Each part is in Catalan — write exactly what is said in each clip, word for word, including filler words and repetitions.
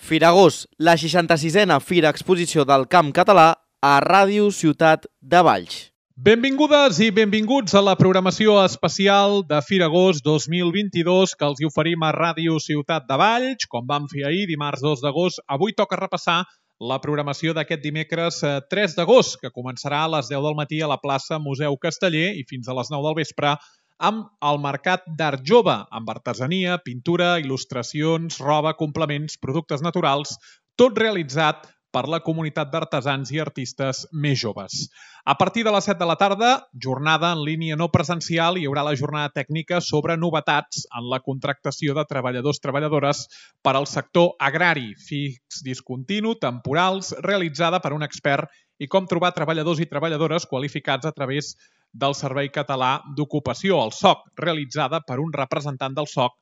Firagós, la seixanta-sisena Fira Exposició del Camp Català a Ràdio Ciutat de Valls. Benvingudes i benvinguts a la programació especial de Firagós dos mil vint-i-dos que els hi oferim a Ràdio Ciutat de Valls. Com vam fer ahir, dimarts dos d'agost, avui toca repassar la programació d'aquest dimecres tres d'agost, que començarà a les deu del matí a la plaça Museu Casteller i fins a les nou del vespre amb el Mercat d'Art Jove, amb artesania, pintura, il·lustracions, roba, complements, productes naturals, tot realitzat per la comunitat d'artesans i artistes més joves. A partir de les set de la tarda, jornada en línia no presencial, hi haurà la jornada tècnica sobre novetats en la contractació de treballadors-treballadores per al sector agrari, fix, discontinu, temporals, realitzada per un expert i com trobar treballadors i treballadores qualificats a través del Servei Català d'Ocupació, el S O C, realitzada per un representant del S O C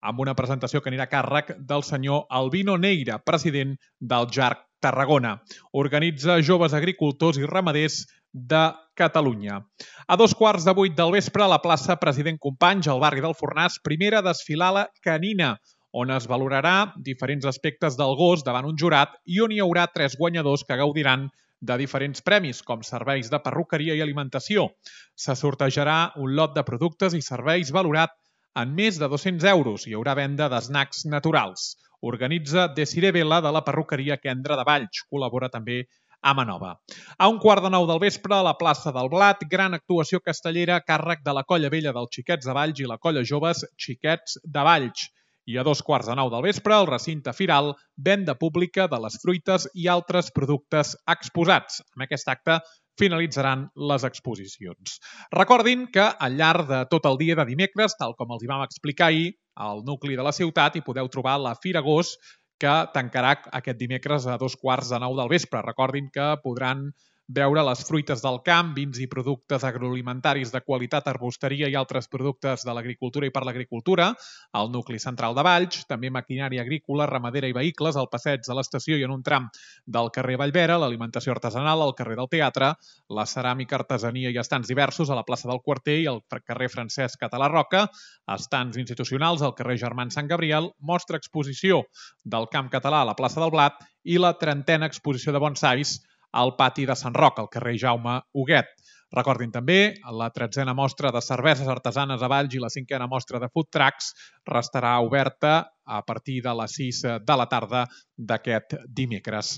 amb una presentació que anirà a càrrec del senyor Albino Neira, president del J A R C Tarragona. Organitza Joves Agricultors i Ramaders de Catalunya. A dos quarts de vuit del vespre, a la plaça President Companys, al barri del Fornàs, primera desfilada canina, on es valorarà diferents aspectes del gos davant un jurat i on hi haurà tres guanyadors que gaudiran de diferents premis, com serveis de perruqueria i alimentació. Se sortejarà un lot de productes i serveis valorat en més de dos-cents euros. Hi haurà venda d'esnacs naturals. Organitza Desiree Vela de la perruqueria Kendra de Valls. Col·labora també a Manova. A un quart de nou del vespre, a la plaça del Blat, gran actuació castellera a càrrec de la Colla Vella dels Xiquets de Valls i la Colla Joves Xiquets de Valls. I a dos quarts de nou del vespre, al recinte firal, venda pública de les fruites i altres productes exposats. Amb aquest acte finalitzaran les exposicions. Recordin que al llarg de tot el dia de dimecres, tal com els hi vam explicar ahir, al nucli de la ciutat hi podeu trobar la Firagós, que tancarà aquest dimecres a dos quarts de nou del vespre. Recordin que podran veure les fruites del camp, vins i productes agroalimentaris de qualitat, arbusteria i altres productes de l'agricultura i per l'agricultura, al nucli central de Valls, també maquinària agrícola, ramadera i vehicles, al passeig de l'estació i en un tram del carrer Vallvera, l'alimentació artesanal al carrer del Teatre, la ceràmica, artesania i estants diversos a la plaça del Quarter i al carrer Francesc Català Roca, estants institucionals al carrer Germans Sant Gabriel, mostra exposició del camp català a la plaça del Blat i la trentena exposició de bonsais al pati de Sant Roc, al carrer Jaume Huguet. Recordin també la tretzena mostra de cerveses artesanes a Valls i la cinquena mostra de food trucks restarà oberta a partir de les sis de la tarda d'aquest dimecres.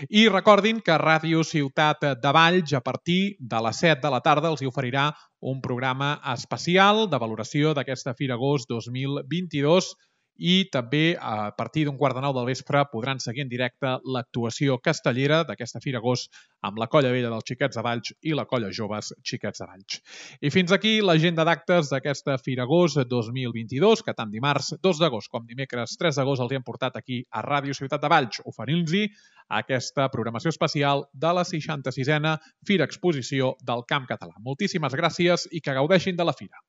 I recordin que Ràdio Ciutat de Valls, a partir de les set de la tarda, els hi oferirà un programa especial de valoració d'aquesta Firagós dos mil vint-i-dos i també a partir d'un quart de nou del vespre podran seguir en directe l'actuació castellera d'aquesta Firagós amb la Colla Vella dels Xiquets de Valls i la Colla Joves Xiquets de Valls. I fins aquí l'agenda d'actes d'aquesta Firagós dos mil vint-i-dos, que tant dimarts dos d'agost com dimecres tres d'agost els hem portat aquí a Ràdio Ciutat de Valls, oferint-los aquesta programació especial de la seixanta-sisena Fira Exposició del Camp Català. Moltíssimes gràcies i que gaudeixin de la fira.